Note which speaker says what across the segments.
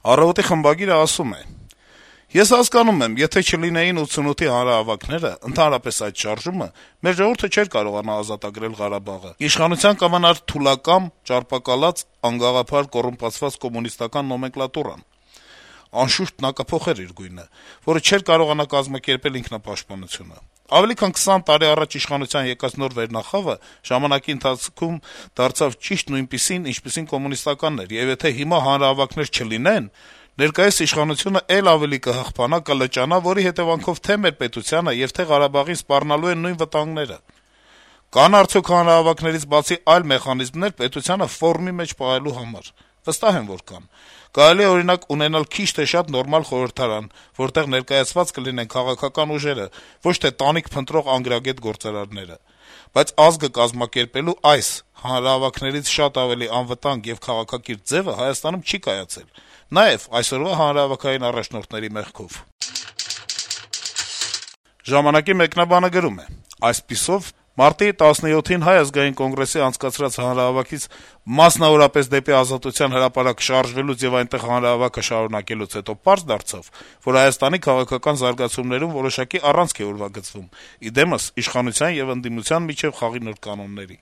Speaker 1: Առավոտի խմբագիրը ասում է. - «Ես հասկանում եմ, եթե չլինեին 88-ի հանրահավաքները, ընդհանրապես այդ շարժումը, մեր ժողովուրդը չէր կարողանա ազատագրել Ղարաբաղը: Իշխանության կմնար թուլակամ, ճարպակալած, անգաղափար կոռումպացված կոմունիստական նոմենկլատուրան: Անշուշտ նա կփոխեր իր գույնը, որը չէր կարողանա կազմակերպել ինքնապաշտպանությունը: Ավելի քան 20 տարի առաջ իշխանության եկած նոր վերնախավը ժամանակի ընթացքում դարձավ ճիշտ նույնպիսին, ինչպիսին կոմունիստականն էր, եւ եթե հիմա հանրահավաքներ չլինեն, ներկայիս իշխանությունը էլ ավելի կհղբանա, կլճանա, որի հետեւանքով թե մեր պետությանը եւ թե Ղարաբաղին սպառնալու են նույն վտանգները: Կան արդյոք հանրահավաքներից բացի այլ մեխանիզմներ պետությանը ֆորմի մեջ պահելու համար: Վստահ եմ, որ կան: Կարելի է, օրինակ, ունենալ քիչ թե շատ նորմալ խորհրդարան, որտեղ ներկայացված կլինեն քաղաքական ուժերը, ոչ թե տանիք փնտրող անգրագետ գործարարները: Բայց ազգը կազմակերպելու այս, հանրահավաքներից շատ ավելի անվտանգ եւ քաղաքակիրթ ձեւը Հայաստանում չի կայացել, նաեւ այսօրվա հանրահավաքային առաջնորդների մեղքով»: «Ժամանակ»-ի մեկնաբանը գրում է. - «Այսպիսով, մարտի 17-ին Հայ ազգային կոնգրեսի անցկացրած հանրահավաքից, մասնավորապես դեպի Ազատության հրապարակ շարժվելուց եւ այնտեղ հանրահավաքը շարունակելուց հետո պարզ դարձավ, որ Հայաստանի քաղաքական զարգացումներում որոշակի առանցք է ուրվագծվում, ի դեմս իշխանության եւ ընդդիմության միջեւ խաղի նոր կանոնների: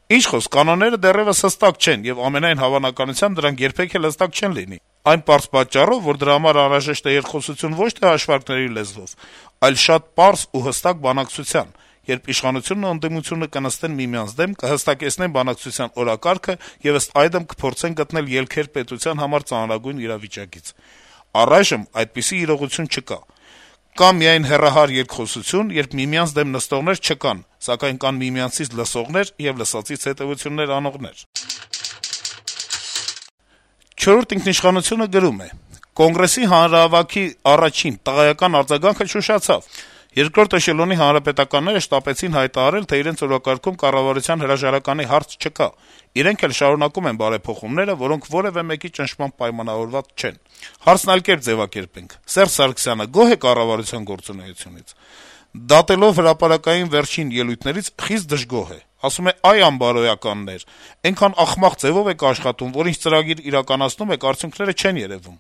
Speaker 1: Ինչ խոսք, կանոնները դեռեւս հստակ չեն, եւ ամենայն հավանականությամբ դրանք երբեք էլ հստակ չեն լինի: Այն պարզ պատճառով, որ դրա համար անհրաժեշտ է երկխոսություն ոչ թե հաշվարկների լեզվով, այլ շատ պարզ ու հստակ բանակցության, երբ իշխանությունն ու ընդդիմությունը կնստեն միմյանց դեմ, կհստակեցնեն բանակցության օրակարգը եւ ըստ այդմ կփորձեն գտնել ելքեր պետության համար ծանրագույն իրավիճակից: Առայժմ այդպիսի իրողություն չկա: Կա միայն հեռահար երկխոսություն, երբ միմյանց դեմ նստողներ չկան, սակայն կան միմյանցից լսողներ եւ լսածից հետեւություններ անողներ»: «Չորրորդ ինքնիշխանություն»-ը գրում է. - «Կոնգրեսի հանրահավաքի առաջին տղայական արձագանքը չուշացավ: Երկրորդ էշելոնի հանրապետականները շտապեցին հայտարարել, թե իրենց օրակարգում կառավարության հրաժարականի հարց չկա: Իրենք էլ շարունակում են բարեփոխումները, որոնք որեւէ մեկի ճնշմամբ պայմանավորված չեն: Հարցն այլ կերպ ձեւակերպենք. Սերժ Սարգսյանը գոհ է կառավարության գործունեությունից: Դատելով հրապարակային վերջին ելույթներից` խիստ դժգոհ է: Ասում է` այ անբարոյականներ, այնքան ախմախ ձեւով եք աշխատում, որ ինչ ծրագիր իրականացնում եք, արդյունքները չեն երեւում: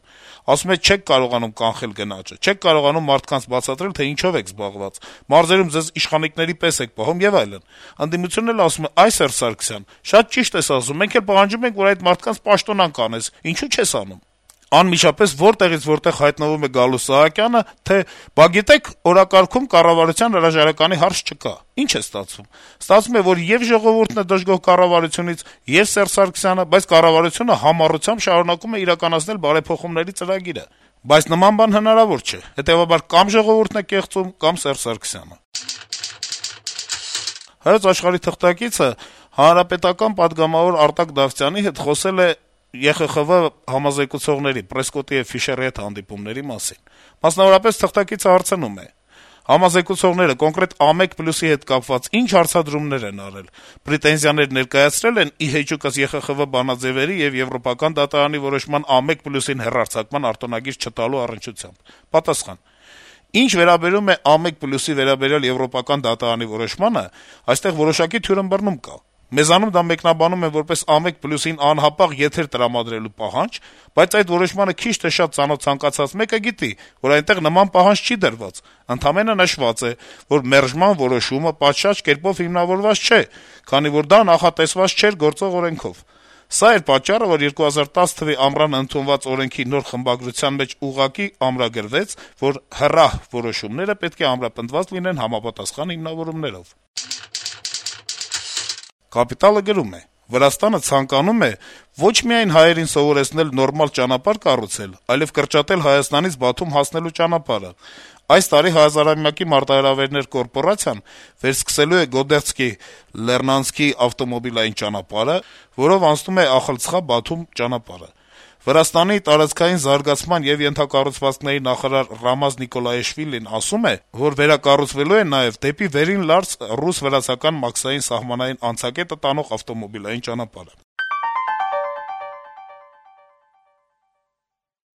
Speaker 1: Ասում է` չեք կարողանում կանխել գնաճը, չեք կարողանում մարդկանց բացատրել, թե ինչով եք զբաղված, մարզերում ձեզ իշխանիկների պես եք պահում եւ այլն: Ընդդիմությունն էլ ասում է. այ Սերժ Սարգսյան, շատ ճիշտ ես ասում, մենք էլ պահանջում ենք, որ այդ մարդկանց պաշտոնանկ անես, ինչո՞ւ չես անում: Անմիջապես որտեղից որտեղ հայտնվում է գալու Սահակյանը, թե բա գիտեք, օրակարգում կառավարության հրաժարականի հարց չկա: Ինչ է ստացվում: Ստացվում է, որ եւ ժողովուրդն է դժգոհ կառավարությունից, եւ Սերժ Սարգսյանը, բայց կառավարությունը համառությամբ շարունակում է իրականացնել բարեփոխումների ծրագիրը: Բայց նման բան հնարավոր չէ: Հետեւաբար կամ ժողովուրդն է կեղծում, կամ Սերժ Սարգսյանը»: «Հայոց Աշխարհ»-ի թղթակիցը հանրապետական պատգամավոր Արտակ Դավթյանի հետ խոսել է ԵԽԽՎ համազեկուցողների Պրեսկոտի եւ Ֆիշերի հետ հանդիպումների մասին: Մասնավորապես, թղթակիցը հարցնում է. - «Համազեկուցողները կոնկրետ ԱՄԵԿ+-ի հետ կապված ի՞նչ հարցադրումներ են արել: Պրետենզիաներ ներկայացրել են ի հեճուկս ԵԽԽՎ բանաձեւերի եւ Եվրոպական դատարանի որոշման ԱՄԵԿ+-ին հեռարձակման արտոնագիր չտալու առնչությամբ»: Պատասխան. - «Ինչ վերաբերում է ԱՄԵԿ+-ի վերաբերյալ Եվրոպական դատարանի որոշմանը, այստեղ որոշակի թյուրըմբռնում կա: Մեզանում դա մեկնաբանում են որպես ԱՄԵԿ+-ին անհապաղ եթեր տրամադրելու պահանջ, բայց այդ որոշմանը քիչ թե շատ ծանոթ ցանկացած մեկը գիտի, որ այնտեղ նման պահանջ չի դրված: Ընդամենը նշված է, որ մերժման որոշումը պատշաճ կերպով հիմնավորված չէ, քանի որ դա նախատեսված չէր գործող օրենքով: Սա էր պատճառը, որ 2010 թվականի ամռանը ընդունված օրենքի նոր խմբագրության մեջ ուղղակի ամրագրվեց, որ հեռահ որոշումները պետք է ամրապնդված լինեն համապատասխան հիմնավորումներով»: «Կապիտալ»-ը գրում է. - «Վրաստանը ցանկանում է ոչ միայն հայերին սովորեցնել նորմալ ճանապարհ կառուցել, այլեւ կրճատել Հայաստանից Բաթում հասնելու ճանապարհը: Այս տարի «Հազարամյակի մարտահրավերներ» կորպորացիան վերսկսելու է Գոդեղցկի-Լեռնանցքի ավտոմոբիլային ճանապարհը, որով անցնում է Ախալցխա-Բաթում ճանապարհը: Վրաստանի տարածքային զարգացման եւ ենթակառուցվածքների նախարար Ռամազ Նիկոլաեշվիլին ասում է, որ վերակառուցվելու է նաեւ դեպի Վերին Լարձ ռուս-վրացական մաքսային սահմանային անցակետը տանող ավտոմոբիլային ճանապարհը»: